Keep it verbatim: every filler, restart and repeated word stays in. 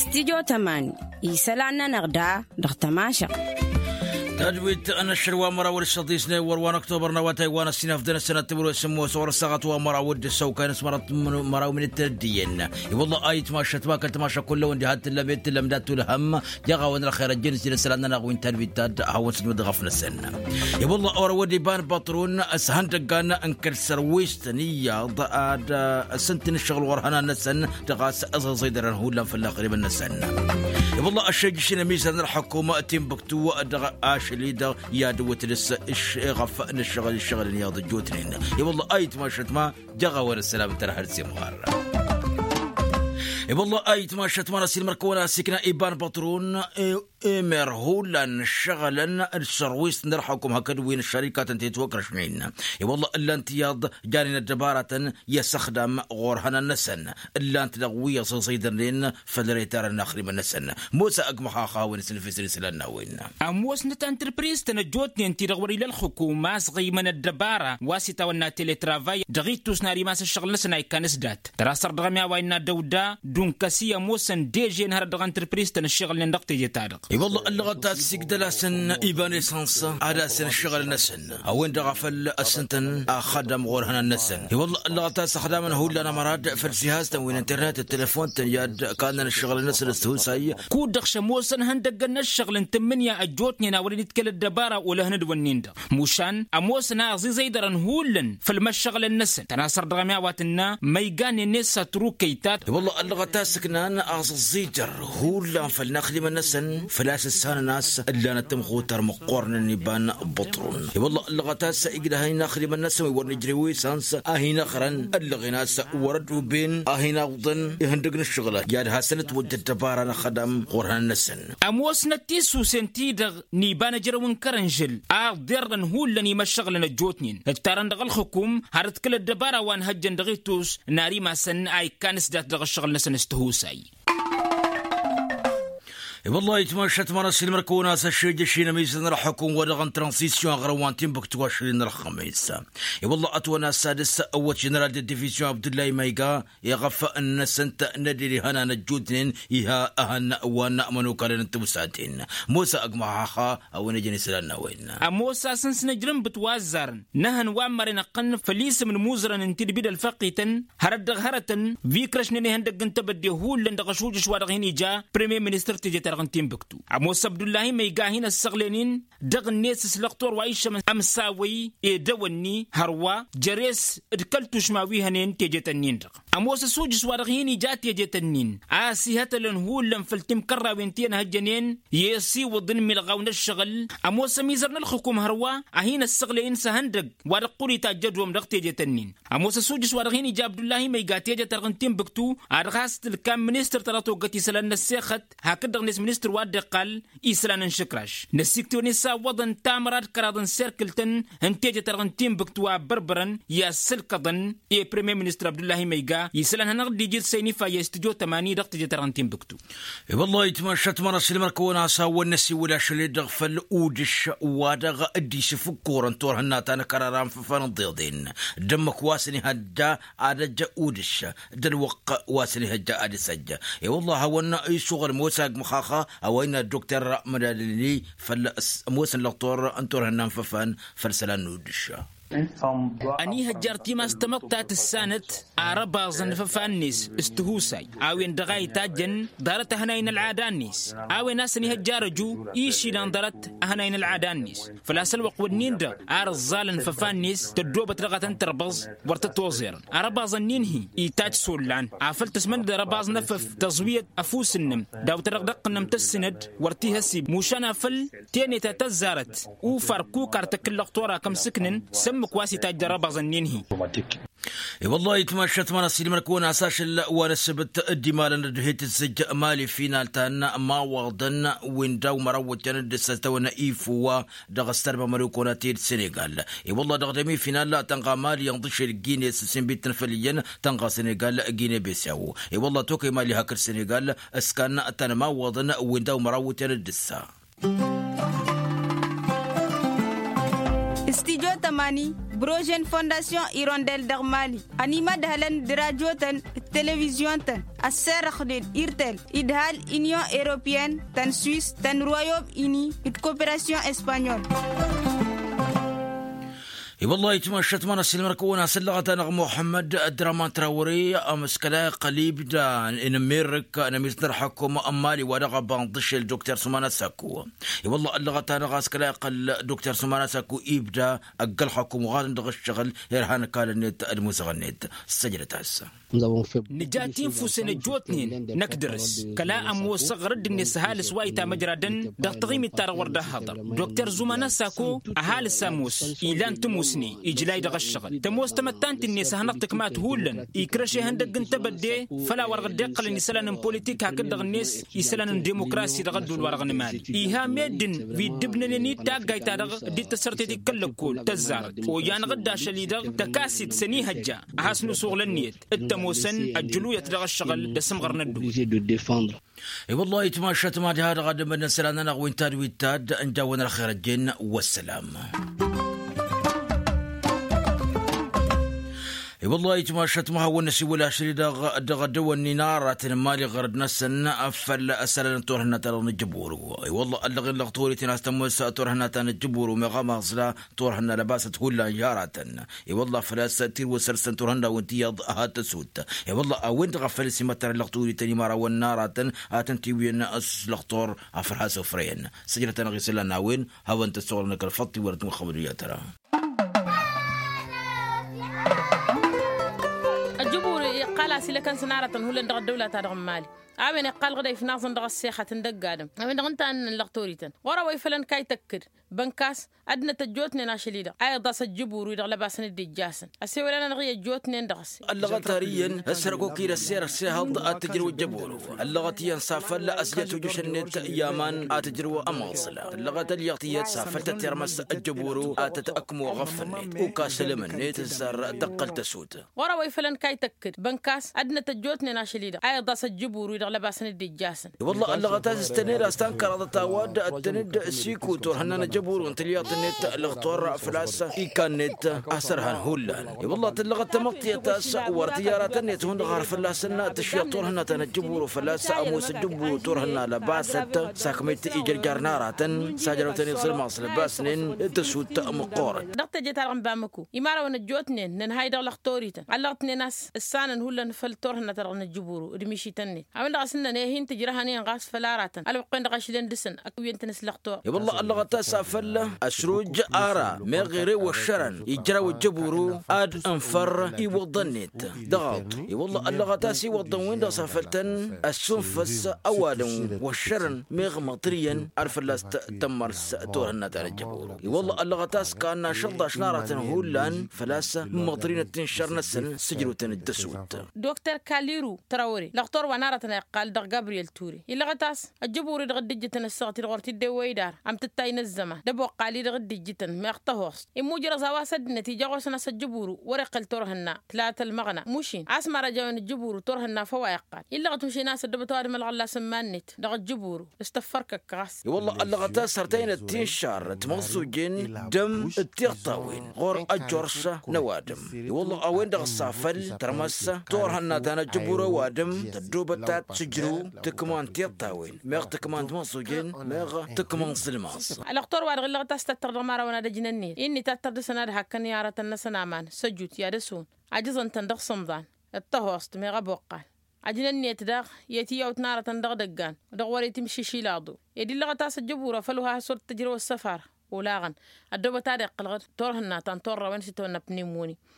Stidyo tăman isălan-nănăɣ da dăɣ-tămašăɣt. Tadwit n-ašăl wa măraw d-săḍisne wăr wa n-ăktobăr n-awătay wa n-ăssinăf d-năsănăt timǝrwe s-ǝmmos ɣur-ăssaɣăt wa măraw d-ăssăwkay n-asmărăt măraw min-dd-tăddiyăn. I-wălla a itmašăt ma kăl-tămašăk kull-ăwăn diha t-tǝllăm i-t-tǝllăm dat-tulhăm. Jaɣ-a-wen ălxer ăjjăn-s jin isălan-nănăɣ wi n-tadwit ta d-ad-hawăn-sǝjmǝd ɣăf-năsăn. I-wălla a wăr-ăwădde iba n-băṭrun s-ihăndăggan n-kăl-sărwist n-iyyăḍ ad-sǝntǝn ǝššăɣǝl ɣur-ihănan-năsăn dăɣ-a-s ăẓẓăẓăydărăn hullan făll-inaxdimăn-năsăn. I-wălla ăššejjăš-in ămizăr n-ălxukum timbuktu dăɣ-ašăl-i-dăɣ i-ad-ǝwwǝtăd s-ɣăf n-ǝššăɣǝl ǝššăɣǝl n-iyyăḍ ăjjootnen. I-wălla a itmašăt ma jaɣ-a-wen ăssălam n-tărha d-simɣar. I-wălla a itmašăt ma n-ăsilmăr-kăwăn-as ikna iba n-băṭrun. Emer hullan ǝššăɣǝlăn d-sărwist n-ălxukum hakd wi n-ăššărikatăn ti ătwăkrăšnen. I-wălla ǝllan-t iyyăḍ janen ăddăbaratăn i-asăxdam ɣur-ihănan-năsăn. Ǝllan-t dăɣ-wi ăẓẓăẓăydărnen făll-retarăn inaxdimăn-năsăn. Mosa ăgg măxaxa a-wen s-nǝfisăn isălan n-a-wen. Ămoosnăt antrǝpriz-tăn ăjjootnen ti-dăɣ wăr-ila ălxukum a-s ɣăymăn ăddăbara wa s-itawănna teletrăvay dăɣ-ittus n-ad-imas ǝššăɣǝl-năsăn a ikkan s-dat tărasăr dăɣ-ămi a-wa innă dăwda. Dunkăs-i ămoosăn dežen hărăt dăɣ-antrǝpriz-tăn ǝššăɣǝlnen dăɣ-teje-ta-dăɣ. I-wălla ăllăɣăt a-s igdăl-asăn iba n-esăns ad-asăn ǝššăɣǝl-năsăn a-wen-dăɣ a făl ăssǝntăn axădăm ɣur-ihănan-năsăn. I-wălla ăllăɣăt a-s ăxdamăn hullan ămăra d-făll-sihaz-tăn wi n-internet d-telefon-tăn i-ad-kannăn ǝššăɣǝl-năsăn s-tihusay. Kud-dăɣ šămoosăn ihăndăggăn n-ǝššăɣǝl n-tǝmmǝnǝya ăjjootnen a wăren itkăl ăddăbara olăhăn d-wănnin-dăɣ mušan ămoosăn a ăẓiẓăydărăn hullan făll-imăššăɣǝlăn-năsăn tănasăr dăɣ-ămi a-wa tǝnna ma iganen-net s-ătrukăy-ta. I-wălla ăllăɣăt a-s ǝknan aẓǝẓẓijăr hullan făll-inaxdimăn-năsăn făl-a-s ǝssanăn a-s ǝllanăt tămxutăr măqqoornen iba n-băṭrun. I-wălla ăllăɣăt a-s igdăhăn inaxdimăn-năsăn wi wăr nǝjrǝw i-săns a hin-ăɣrăn ăllăɣen a-s wăr-ădduben a hin-awǝḍăn ihăndăg n-ǝššăɣǝl i-ad-hasăn-ătwăjj ăddăbara n-axădam ɣur-ihănan-năsăn. Ămoosnăt tisusen-ti-dăɣ n-iba n-ejrăw n-kărănžǝl a ǝḍḍerrăn hullan imăššăɣǝlăn ăjjootnen ǝttarăn dăɣ-ălxǝkum har d-kăl-ăddăbara wa n-hăjjăn dăɣ-itus n-ar imasăn a ikkan s-dat dăɣ-ǝššăɣǝl-năsăn s-tihusay. I-wălla-hi itmašăt ma n-ăssiilmăr-kăwăn-as ăššejăš-in ămizăr n-ălxukum wa dăɣ-n transisyun aɣrǝm wa n-tinbǝkt wa šăl-in ălxămis. I-wălla ătwănna s-ad-s ăwwăt ženeral de divizyon abdullahi mayga iɣăf n-năsăn-t n-ad-dd-ihănan ăjjootnen iha ăhăn wa n-ămănokalăn n-timǝsaten. Mosa ăgg măxaxa a-wen ejăn isălan n-a-wen. Ămoos a-s n-sǝnǝjrǝmbǝt wa ăzzarăn n-ehăn wa n-măren ăqqăn făll-isǝm n-imuzărăn n-tidbi d-ălfăqqităn hărăt dăɣ-hărătăn wi ǝkrăšnen ihăndăgg n-tebădde hullan dăɣ-ašujǝš wa dăɣ-hin-ija premier ministăr teje-ta-dăɣ n-tinbǝktu. Ămoos abdullahi ma iga a hin-ăssăɣlen-in dăɣ-net s-lăqtor wa iššămăn ămsawăy edăwănni hărwa jere-s d-kăl-tušma wi hănen tejet-ǝnnin-dăɣ. Ămoos ăsujǝs wa dăɣ-hin-ija tejet-ǝnnin a ăsihătălăn hullan făll-timkărrawen ti ănhăjjănen i-esiwǝḍ n-imilɣaw n-ăššăɣǝl. Ămoos ămizăr n-ălxukum hărwa a hin-ăssăɣlăy-in s-ehăndăgg wa dăɣ-qur-itajj ădwăm dăɣ-tejet-ǝnnin. Ămoos ăsujǝs wa dăɣ-hin-ija abdullahi ma iga tejet-ta-dăɣ n-tinbǝktu ad-dăɣ-has-tǝlkam ministăr ta dăɣ-toggăt isălan n-ăssexăt hakd-dăɣ-net ministăr wa dd-iqqal isălan n-išǝkraš. Năsiktǝwăn isawwăḍăn tamăra d-kăraḍ n-serkǝl-tăn n-teje-ta-dăɣ n-tinbǝkt wa ăbbărbărăn i-ad-sǝlkăḍăn i-premier ministăr abdullahi ma iga isălan hanăɣ-dd-iji d-săynifayya i-studyo tămani dăɣ-teje-ta-dăɣ n-tinbǝktu. I-wăllah itmašat măra s-ilmăr-kăwăn-as a-wen năsiwǝl ašăl-i-dăɣ făll-udǝš wa dăɣ-dd-isǝfǝkkur n-turhǝnna ta n-akărar anfăfan n-iḍeḍen d-ǝmmǝk wa s-inihăjja ad-ăjj udǝš d-ălwăqq wa s-inihăjja ad-isăjj. I-wăllah a-wăn isuɣǝl mosa agmăxaxa a-wa innă ăddukter mădalălni făll-s ămoosăn lăqtor n-turhǝnna n-făfan făll-isălan n-udǝš. Ănihăjjar timas tamăḍt ta tǝssanăt arăbaẓăn n-ifăfan-net s-tihusay a-wen-dăɣ a itajjăn ḍarăt ăhănay n-ălɣada-net. A-wen a-s ănihăjjar ăju išilan ḍarăt ăhănay n-ălɣada-net făl-a-s ălwăqq-wǝnnin-dăɣ ar ǝẓẓalăn ifăfan-net tăddoobăt dăɣ-a tăn-tărbăẓ. Wăr tăt-oẓerăn arăbaẓăn-nin-hi itajj s-ollan afăl tăsmănăd arăbaẓ n-efăf tăẓwiyăt ăfuss-năm daw-tădăɣ d-ăqqǝnnăm tăssinăd wăr t-ihăsib mušan afăl teneta tăzzarăt ufar kukar tăkk n-lăqtor a kămsǝknăn s-ǝmmǝk wa s-itajj d-arăbaẓăn-nin-hi. I-wăllah itmašat măra s-ilmăr-kăwăn-as ašăl wa n-ăssăbăt dd-imalăn ădduhe tǝzzǝj mali final ta n-imawaḍăn wi n-daw-măraw wăjjan dd-ǝssătăwăn ifu wa dăɣ-ăstărbămăr i-kăwăn-at-dd senegal. I-wăllah dăɣ-demi final tănɣa mali inḍǝšel gine s-sinbit n-făl iyyăn tănɣa senegal gine besew. I-wăllah tokăy mali hakd senegal s-kan tanămawăḍăn wi n-daw-măraw wăjjan dd-ǝssa. Studyo Ani brojen fondasyon irondel dăɣ-mali ănimădhălăn d-rajotăn d-televizyon-tăn ăsserăxnen irtel idhal inyon europeyăn tăn-swis tăn-royom ini d-koperasyon espanyol. I-wăllah itmašat ma n-asǝlmăr-kăwăn asǝllăɣăt-anăɣ muḥămmăd draman trawăre amǝskăla iqqăl ibda n-amerik n-amisdăr ḥăkkum n-mali wa dăɣ-abanḍǝšel dokter sumana sakku. I-wăllah ăllăɣăt-anăɣ asǝkăla iqqăl dokter sumana sakku ibda ăgg-ălxăkkum uɣadăn dăɣ-ǝššăɣǝl irhan ăkall-net d-imuzăɣ-net. Săjdăt-as. Nǝja tinfusen ăjjootnen năkk dăr-s kăla ămoosăɣ ɣur-dd-net ăhalǝs wa itamăjradăn dăɣ-taɣimit-ta-dăɣ wăr dd-ăhhăḍăr. Dokter zuman ăssako ăhalǝs ămoos ilan tămusne ijlay dăɣ-ăššăɣǝl tămoos tamăttant-net a hanăɣ-tǝkmat hullan ikrăš ihăndăgg n-tebădde făll-a-wa-dăɣ dd-iqqălăn isălan n-politik hakd-dăɣ-net isălan n-demokrasi dăɣ-ădduul-wa-dăɣ n-mali. Iha meddǝn wi dd-ǝbnănen i-d taggayt-ta-dăɣ dd-tăssărtet ikăl-lăkkol tăzzarăt ojanăɣ-dd ašăl-i-dăɣ tăkasit s-ănihăjja a has-nusuɣǝl ǝnniyăt d-tămoosăn ăjjǝluyăt dăɣ-ăššăɣǝl d-asǝmɣăr n-ădduul. I-wăllah itmašat mad-iha dăɣ-ad-ămădnăsălan-anăɣ wi n-tad wi d-tad n-jawăn ălxer ăjjeen. Wăssălam. I-wăllah itmašat ma hawăn-năsiwăl ašăl-i-dăɣ dăɣ-ad-dăwănnin aratăn n-imali ɣărăd-năsăn făll-ăsălan n-turhǝnna-ta-dăɣ n-ǝjjǝburu. I-wăllah ăllăɣ-in lăɣ torităn a-s tămoos turhǝnna ta n-ǝjjǝburu meɣ amaẓla turhǝnna lăbasăt hullan i-aratăn. I-wăllah făl-a-s tirwǝsăr s-tăn-turhǝnna-wăn tiyyăḍ hat-tăsut. I-wăllah a-wen-dăɣ a făl s-imăttărăn lăɣ torităn imărawăn n-aratăn ad-tăn-tiwǝyăn s-lăɣtor a făl has-ofrăyăn. Sǝjdăt-anăɣ isălan n-a-wen hawăn-tăssoɣlăn kăl-făḍt-i wăr-dd-măxxămăd iyyăt ăra. Ăjjǝbur iqqal a-s ilăkăn s-naratăn hullan dăɣ-ăddăwla-ta-dăɣ n-mali. A-wen iqqal ɣǝdăy f-inaẓăn dăɣ-ăssexăt n-dăgg-adǝm a-wen-dăɣ ǝnta a ǝnnăn lăɣ torităn ɣur-ăwăy făll-ănkayy tăkkǝd bănkas. Ăddinăt ăjjootnen ašăl-i-dăɣ a iḍas ăjjǝbur-wi-dăɣ lăbasăn dd-ijjasăn. Ăsewăl-anănăɣ i-ăjjootnen dăɣ-s. Ăllăɣăt ar iyyăn ăssărăkok-i d-ăssirăɣ s-ehăḍ ad-t-ǝjrǝw ăjjăburu. Ăllăɣăt iyyăn s-afăl ăsjăt ujǝš-net i-aman ad-t-ǝjrǝw ămaẓǝla. Ăllăɣăt ălliɣ tiyyăt s-afăl tăt-irmăs ăjjăburu ad-tăt-ăkmo aɣăf-net. Ukas ălem-net s-ar tăqqăl tăsut. Ɣur-ăwăy făll-ănkayy tăkkǝd bănkas ăddinăt ăjjootnen ašăl-i-dăɣ a iḍas ăjjǝbur-wi-dăɣ lăbasăn dd-ijjasăn. Wălla ăllăɣăt a-s s-tăned a-s tankăraḍăt a-wa dd-tăn-dd-siku turhǝnna n-ejăburun tǝlyaḍt-net lăɣtor făl-a-s ikan-net a sărhan hullan. I-wălla tǝllăɣăt tamăḍt tiyyăt a-s wăr tǝjjaratăn-net hundăɣ har fălla-săn tǝšyăḍ turhǝnna ta n-ejăburu făl-a-s ămoos ejăburu turhǝnna lăbasăt sakmăyt ijărjar n-aratăn s-ajrăwtăn iẓǝlmaẓ lăbasnen d-tăsut măqqorăt. Dăɣ-teje-ta-dăɣ n-bamăko imărawăn ăjjootnen nǝnhay dăɣ-lăxtorităn ăllăɣ-tnen a-s ǝssanăn hullan făll-turhǝnna ta dăɣ-nǝjjǝburu d-mišităn-net a-wen-dăɣ a-s ǝnnăn ehǝn tǝjrăhăn-in ɣas făll-aratăn ălwăqq-en-dăɣ ašlen dăɣ-săn ăkk iyyăn-tăn s-lăxtor. I-wălla ăllăɣăt a-s afăl ăsruj ara meɣ ere wăššărăn ijraw ăjjăburu ad-ǝnfăr iwăḍăn-net dăɣ-aḍu. I-wălla ăllăɣăt a-s iwăḍăn-win-dăɣ s-afăl tăn-ăssunfăs ăwadǝm wăššărăn meɣ măḍriyăn ad-fălla-s tămmărs turhǝnna ta n-ăjjăburu. I-wălla ăllăɣăt a-s kanna šăḍḍaš n-aratăn hullan făl-a-s măḍrinăt-in šăr-năsăn sǝjrǝwtăn d-tăsut. Dokter kaliru trawăre lăɣtor wa n-aratăn a iqqal dăɣ-gabriyel ture illăɣăt a-s ăjjăburi-dăɣ dd-ijjǝtăn ăssaɣăt-i-dăɣ wăr t-dd-ewwăy d-ara. Am tǝttay n-ăzzăman d-ăboqqali-dăɣ dd-ijjǝtăn meɣ tăhost immujrăẓ a-wa s-ăddinăt ija ɣur-săn a-s ăjjăburu wăr-iqqăl turhǝnna tǝlatăl măɣna mušin a-s măra ăjawăn ăjjăburu turhǝnna făw a iqqal illăɣăt mušin a-s ăddăbăt ăwadǝm ălɣăllas n-iman-net dăɣ-ăjjăburu s-tăffărkăk ɣas. I-wălla ăllăɣăt a-s hărtăynăt tinšar timăẓẓujen dăm d-tiɣtawen ɣur-ăjjorš n-ăwadǝm. I-wălla a-wen-dăɣ s-afăl tărmăs turhǝnna ta n-ăjjăburu ăwadǝm tăddobăt ad-tǝjrǝw tǝkma n-tiṭṭawen meɣ tǝkma n-timăẓẓujen meɣ tǝkma n-iẓǝlmaẓ. Ălăxtor-wa-dăɣ illăɣăt a-s tattăr dăɣ-imărawăn ad-ăjnăn-net-i ǝnni tattăr dăɣ-săn ad-hakkăn i-aratăn-năsăn aman săjut i-ad-ăswǝn ajǝẓăn-tăn dăɣ-sǝmḍan d-tăhost meɣ ăboqqal. Ăjnăn-net daɣ i-tiyyawt n-aratăn dăɣ-idăggan dăɣ-wăr-itimšǝšil aḍu. Ed illăɣăt a-s ăjjăbur afăl wa has-wăr t-tǝjrăw ăssăfar olaɣăn ăddoobăt ad-iqqălăɣ turhǝnna ta n-turrawen s-itawănna pnimoni.